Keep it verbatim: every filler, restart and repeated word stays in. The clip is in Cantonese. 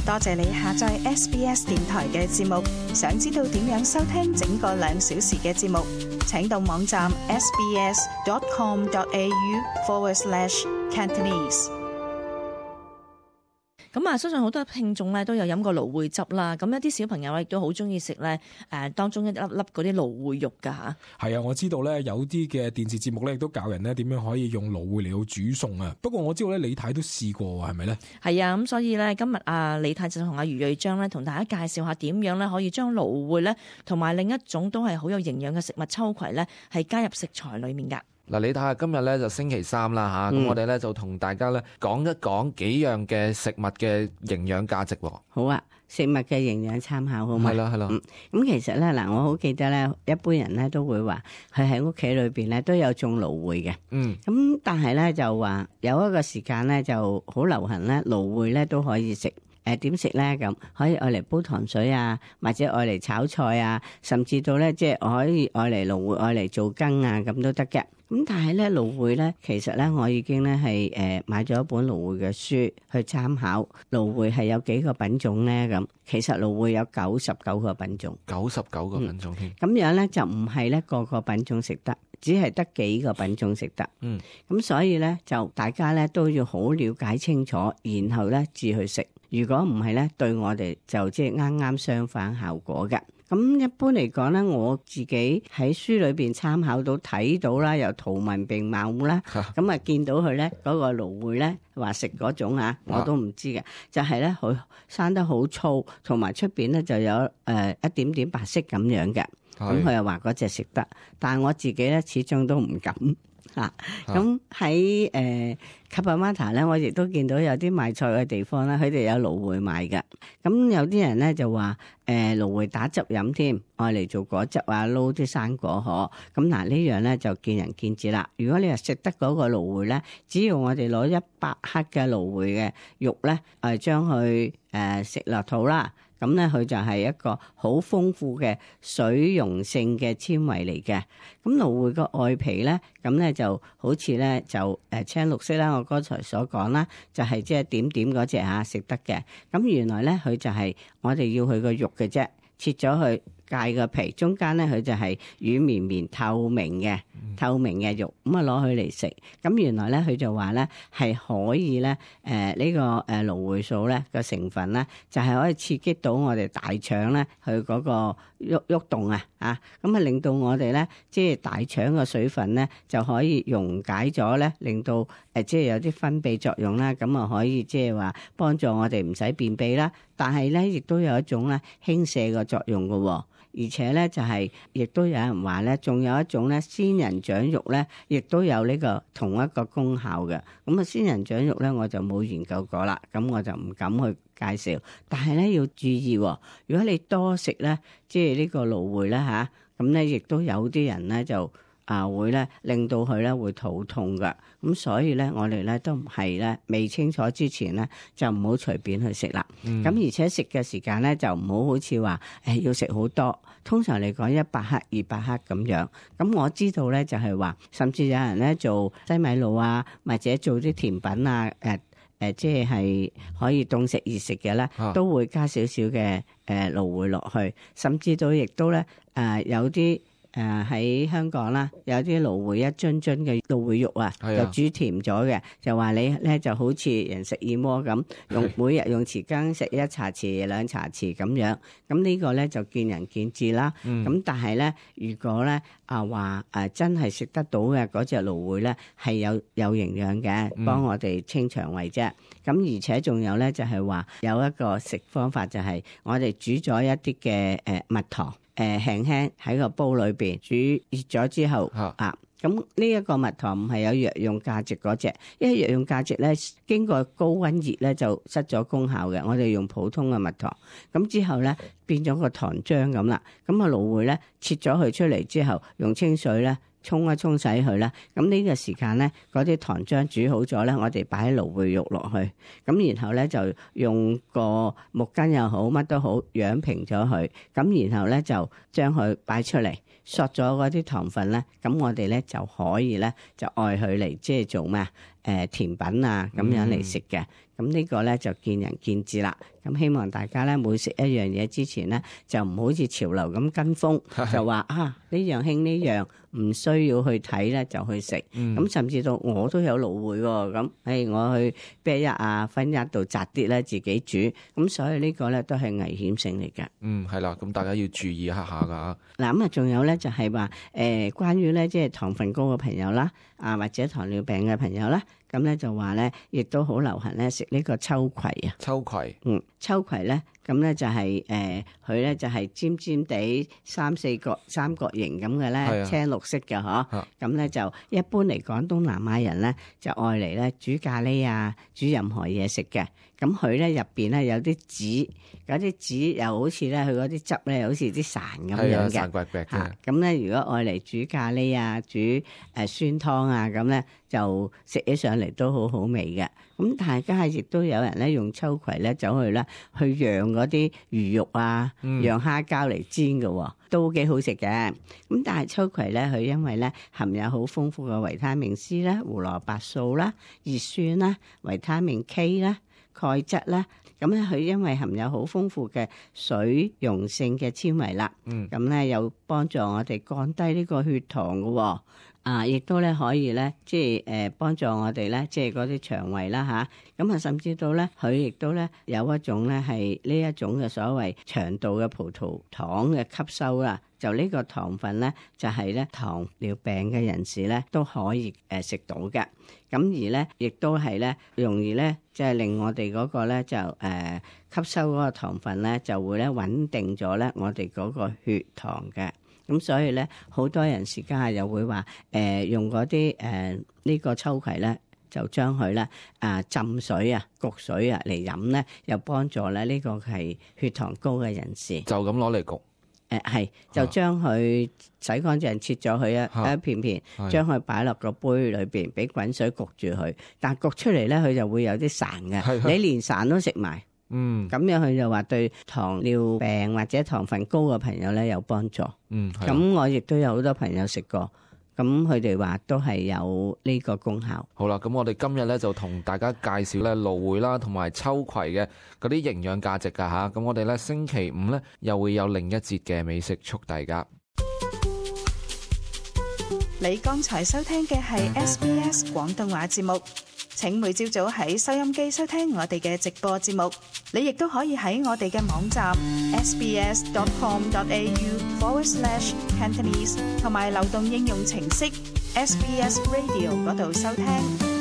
多謝你下載 S B S 電台嘅節目。想知道點樣收聽整個兩小時嘅節目，請到網站 sbs.com.au forward slash Cantonese。咁啊，相信好多聽眾咧都有飲過蘆薈汁啦。咁一啲小朋友亦都好中意食咧，誒當中一粒粒嗰啲蘆薈肉㗎嚇。係啊，我知道咧有啲嘅電視節目咧亦都教人咧點樣可以用蘆薈嚟到煮餸啊。不過我知道咧李太都試過喎，係咪咧？係啊，咁所以咧今日啊李太就同阿余瑞章咧同大家介紹下點樣咧可以將蘆薈咧同埋另一種都係好有營養嘅食物秋葵咧係加入食材裡面㗎。嗱，你睇下今日咧就星期三啦吓，咁、嗯、我哋咧就同大家咧講一講幾樣嘅食物嘅營養價值。好啊，食物嘅營養參考好嘛？係啦係啦。咁、嗯、其實咧嗱，我好記得咧，一般人咧都會話佢喺屋企裏邊咧都有種蘆薈嘅。嗯。咁但係咧就話有一個時間咧就好流行咧，蘆薈咧都可以食。誒點食咧？咁可以愛嚟煲糖水啊，或者愛嚟炒菜啊，甚至到咧即係可以愛嚟蘆薈愛嚟做羹啊，咁都得嘅。咁但係咧蘆薈咧，其實咧我已經咧係誒買咗一本蘆薈嘅書去參考。蘆薈係有幾個品種咧？咁其實蘆薈有九十九個品種，九十九個品種添。咁、嗯、樣咧就唔係咧個個品種食得，只係得幾個品種食得。嗯。咁所以咧就大家咧都要好了解清楚，然後咧至去食。如果唔係咧，對我哋就即係啱啱相反效果嘅。咁一般嚟講咧，我自己喺書裏邊參考到睇到啦，又圖文並茂啦，咁啊見到佢咧嗰個蘆薈咧話食嗰種啊，我都唔知嘅，就係咧佢生得好粗，同埋出邊咧就有誒、呃、一點點白色咁樣嘅。咁佢又話嗰隻食得，但係我自己咧始終都唔敢。啊，咁喺誒 Cabramatta 咧，我亦都見到有啲賣菜嘅地方咧，佢哋有蘆薈賣嘅。咁有啲人咧就話誒蘆薈打汁飲添，愛嚟做果汁啊，撈啲生果嗬。咁嗱呢樣咧就見仁見智啦。如果你係食得嗰個蘆薈咧，只要我哋攞一百克嘅蘆薈嘅肉咧，誒將佢誒食落肚啦。咁咧佢就係一個好豐富嘅水溶性嘅纖維嚟嘅。咁蘆薈個外皮咧，咁咧就好似咧就誒青綠色啦。我剛才所講啦，就係即係點點嗰隻嚇食得嘅。咁原來咧佢就係我哋要佢個肉嘅啫，切咗佢。界個皮中間咧，佢就係軟綿綿透明嘅透明嘅肉，咁啊攞佢嚟食。咁原來咧，佢就話咧係可以咧，誒、呃、呢、這個誒蘆薈素咧個成分咧，就係、是、可以刺激到我哋大腸咧，佢嗰個喐喐動啊，啊咁啊令到我哋咧，即係大腸嘅水分咧就可以溶解咗咧，令到誒、呃、即係有啲分泌作用啦，咁啊可以即係話幫助我哋唔使便秘啦。但係咧，亦都有一種咧輕瀉嘅作用嘅、哦。而且咧就係、是，亦都有人話咧，仲有一種咧仙人掌肉咧，亦都有呢個同一個功效嘅。咁啊，仙人掌肉咧我就冇研究過啦，咁我就唔敢去介紹。但係咧要注意、哦，如果你多食咧，即係呢個蘆薈咧吓，咁咧亦都有啲人咧就啊會咧令到佢咧會肚痛㗎。咁所以咧，我哋咧都唔係咧未清楚之前咧，就唔好隨便去食啦。咁、嗯、而且食嘅時間咧，就唔好好似話誒要食好多。通常嚟講，一百克、二百克咁樣。咁我知道咧，就係話，甚至有人咧做西米露啊，或者做啲甜品啊，誒、呃、誒、呃，即係可以凍食熱食嘅咧，都會加少少嘅誒蘆薈落去。甚至到亦都咧誒、呃、有啲。誒喺、呃、香港啦，有啲蘆薈一樽樽嘅蘆薈肉啊，就煮甜咗嘅，就話你咧就好似人食燕窩咁，用每日用匙羹食一茶匙兩茶匙咁樣，咁呢個咧就見仁見智啦。咁、嗯、但係咧，如果咧啊話誒真係食得到嘅嗰隻蘆薈咧，係有有營養嘅，幫我哋清腸胃啫。咁、嗯、而且仲有咧就係話有一個食方法，就係我哋煮咗一啲嘅誒蜜糖。誒輕輕喺個煲裏邊煮熱咗之後啊，咁呢一個蜜糖唔係有藥用價值嗰隻，因為藥用價值咧經過高溫熱咧就失咗功效嘅。我哋用普通嘅蜜糖，咁之後咧變咗個糖漿咁啦。咁啊蘆薈咧切咗佢出嚟之後，用清水咧沖一沖洗佢啦。咁呢個時間咧，嗰啲糖漿煮好咗咧，我哋擺喺蘆薈肉落去，咁然後咧就用個木巾又好，乜都好，養平咗佢。咁然後咧就將佢擺出嚟，索咗嗰啲糖分咧，咁我哋咧就可以咧就愛佢嚟即係做咩啊？誒甜品啊咁樣嚟食嘅。咁呢個咧就見仁見智啦。咁希望大家咧每食一樣嘢之前咧，就唔好似潮流咁跟風，就話啊呢樣興呢樣，唔需要去睇咧就去食。咁、嗯、甚至到我都有蘆薈喎，咁誒我去啤一啊分一度摘啲咧自己煮。咁所以呢個咧都係危險性嚟嘅。嗯，係啦，咁大家要注意一下噶。嗱咁啊，仲有咧就係話誒關於咧即係糖分高嘅朋友啦，啊或者糖尿病嘅朋友啦。咁咧就話咧，亦都好流行咧食呢個秋葵啊。秋葵，嗯，秋葵咧，咁咧就係、是、誒，佢、呃、咧就係尖尖地三四角三角形咁嘅咧，青綠色嘅嗬。咁咧、啊、就一般嚟講，東南亞人咧就愛嚟咧煮咖喱啊，煮任何嘢食嘅。咁佢咧入邊咧有啲籽，嗰啲籽又好似咧佢嗰啲汁咧，好似啲潺咁樣嘅。潺滑滑嘅。咁咧、啊、如果愛嚟煮咖喱啊，煮誒、呃、酸湯啊，咁咧就食起上嚟都好好味嘅。咁大家亦都有人咧用秋葵咧走去咧去釀嗰啲魚肉啊，釀蝦膠嚟煎嘅，都幾好食嘅。咁但係秋葵咧，佢因為咧含有好豐富嘅維他命 C 啦、胡蘿蔔素啦、葉酸啦、維他命 K 啦、鈣質啦，咁咧佢因為含有好豐富嘅水溶性嘅纖維啦，咁咧有幫助我哋降低呢個血糖嘅。啊，亦都咧可以咧，即係誒幫助我哋咧，即係嗰啲腸胃啦吓，咁啊，甚至到咧，佢亦都咧有一種咧係呢一種嘅所謂腸道嘅葡萄糖嘅吸收啦。就呢個糖分咧，就係咧糖尿病嘅人士咧都可以誒食到嘅。咁而咧，亦都係咧容易咧，即係令我哋嗰個咧就誒吸收嗰個糖分咧，就會咧穩定咗咧我哋嗰個血糖嘅。咁所以咧，好多人時間又會話誒、呃、用嗰啲誒呢個秋葵咧，就將佢咧啊浸水啊、焗水啊嚟飲咧，又幫助咧呢、這個係血糖高嘅人士。就咁攞嚟焗。誒係、呃，就將佢洗乾淨，切咗佢一、啊、一片片，將佢擺落個杯裏邊，俾滾水焗住佢。但係焗出嚟咧，佢就會有啲潺嘅。你連潺都食埋。嗯，咁樣佢就話對糖尿病或者糖分高嘅朋友咧有幫助。嗯，咁我亦都有好多朋友食過，咁佢哋話都係有呢個功效。好啦，咁我哋今日咧就同大家介紹咧蘆薈啦，同埋秋葵嘅嗰啲營養價值噶吓。咁我哋咧星期五咧又會有另一節嘅美食速遞噶。你剛才收聽嘅係 S B S 廣東話節目。請每朝早喺收音機收聽我哋嘅直播節目，你亦都可以喺我哋嘅網站 sbs dot com dot a u forward slash cantonese 同埋流動應用程式 S B S Radio 嗰度收聽。